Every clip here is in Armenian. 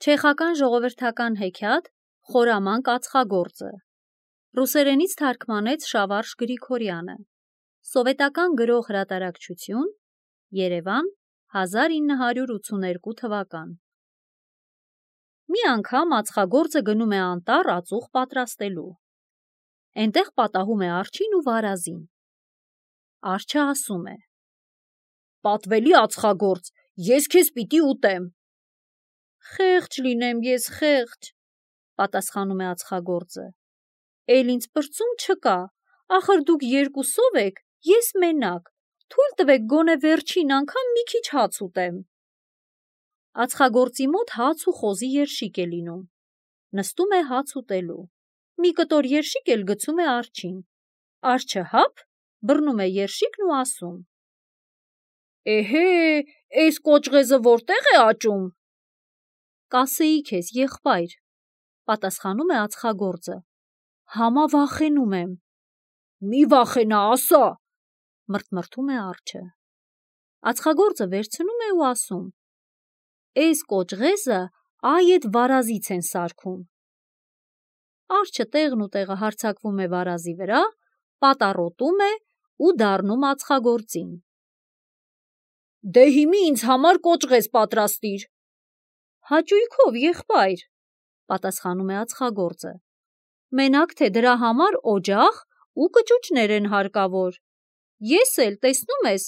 Չեխական ժողովրդական հեքիաթ «Խորամանկ ածխագործը» ռուսերենից թարգմանեց Շավարժ Գրիգորյանը, սովետական գրող հրատարակչություն, Երևան, 1982 թվական։ Մի անգամ ածխագործը գնում է անտառ ածուխ պատրաստելու։ Էնտեղ պատահում է արջին ու վարազին։ Արջը ասում է. «Պատվելի ածխագործ, ես քեզ պիտի ուտեմ»։ «Խեղճ լինեմ ես, խեղճ», պատասխանում է ածխագործը։ «Էլ ինձ պրծում չկա, ախր դուք երկուսով եք, ես մենակ, թույլ տվեք գոնե վերջին անգամ մի քիչ հաց ուտեմ»։ Ածխագործի մոտ հաց ու խոզի երշիկ է լինում։ Նստում է հաց ուտելու։ Մի կտոր երշիկ էլ գցում է արջին։ Արջը հափ, բռնում է երշիկն ու ասում. «Էհե, էս կոճղեզը որտեղ է աճում»։ «Կասեի քեզ, եղբայր», պատասխանում է ածխագործը, «համա վախենում եմ»։ «Մի վախենա, ասա», մրթմրթում է արջը։ Ածխագործը վերցնում է ու ասում. «Էս կոճղեզը այ էդ վարազից են սարքում»։ Արջը տեղն ու տեղը հարձակվում է վարազի վրա, պատառոտում է ու դառնում ածխագործին։ «Դե հիմի ինձ համար կոճղեզ պատրաստիր»։ «Հաճույքով, եղբայր», պատասխանում է ածխագործը, «մենակ թե դրա համար օջախ ու կճուճներ են հարկավոր։ Ես էլ, տեսնում ես,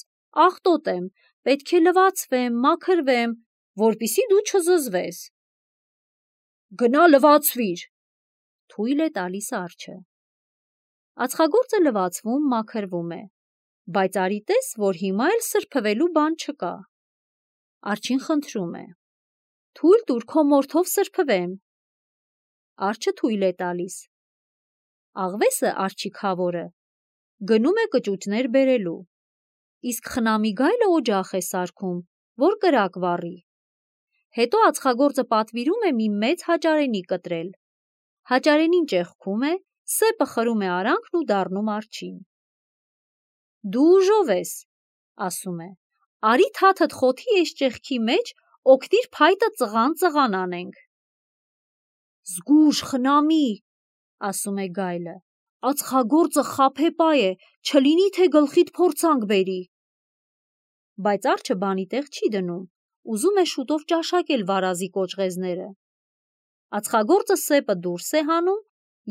աղտոտ եմ, պետք է լվացվեմ, մաքրվեմ, որպեսզի դու չզզվես»։ «Գնա լվացվիր», թույլ է տալիս արջը։ Ածխագործը լվացվում, մաքրվում է, բայց արի տես, որ հիմա էլ սրբվելու բան չկա։ Արջին խնդրում է. «Թույլ տուր քո մորթով սրբվեմ»։ Արջը թույլ է տալիս։ Աղվեսը, արջի քավորը, գնում է կճուճներ բերելու, իսկ խնամի գայլը օջախ է սարքում, որ կրակ վառի։ Հետո ածխագործը պատվիրում է մի մեծ հաճարենի կտրել։ Հաճարենին ճեղքում է, սեպը խրում է արանքն ու դառնում արջին։ «Դու ուժով ես», ասում է, «արի թաթդ խոթի էս ճեղքի մեջ, օգտիր փայտը ծղան անենք»։ «Զգույշ, խնամի», ասում է գայլը, «ածխագործը խաբեբայ է, չլինի թե գլխիդ փորձանք բերի»։ Բայց արջը բանի տեղ չի դնում, ուզում է շուտով ճաշակել վարազի կոճղեզները։ Ածխագործը սեպը դուրս է հանում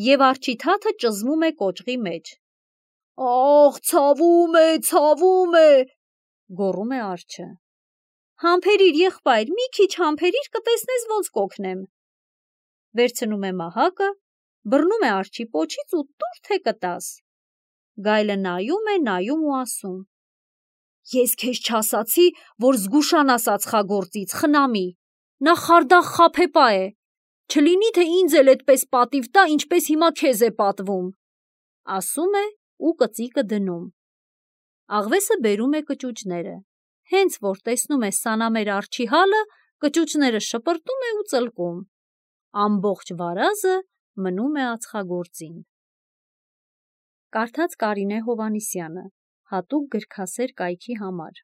և արջի թաթը ճզմում է կոճղի մեջ։ «Ախ, ցավում է», գոռում է արջը։ «Համբերիր, եղբայր, մի քիչ համբերիր, կտեսնես ոնց կօգնեմ»։ Վերցնում է մահակը, բռնում է արջի պոչից ու տուր թե կտաս։ Գայլը նայում ու ասում. «Ես քեզ չասացի, որ զգուշանաս ածխագործից, խնամի, նա խարդախ խաբեբայ է, չլինի թե ինձ էլ էդպես պատիվ տա, ինչպես հիմա քեզ է պատվում», ասում է ու կծիկը դնում։ Աղվեսը բերում է կճուճները, հենց որ տեսնում է սանամեր արջի հալը, կճուճները շպրտում է ու ծլկում։ Ամբողջ վարազը մնում է ածխագործին։ Կարդաց Կարինե Հովհաննիսյանը, հատուկ գրքասեր կայքի համար։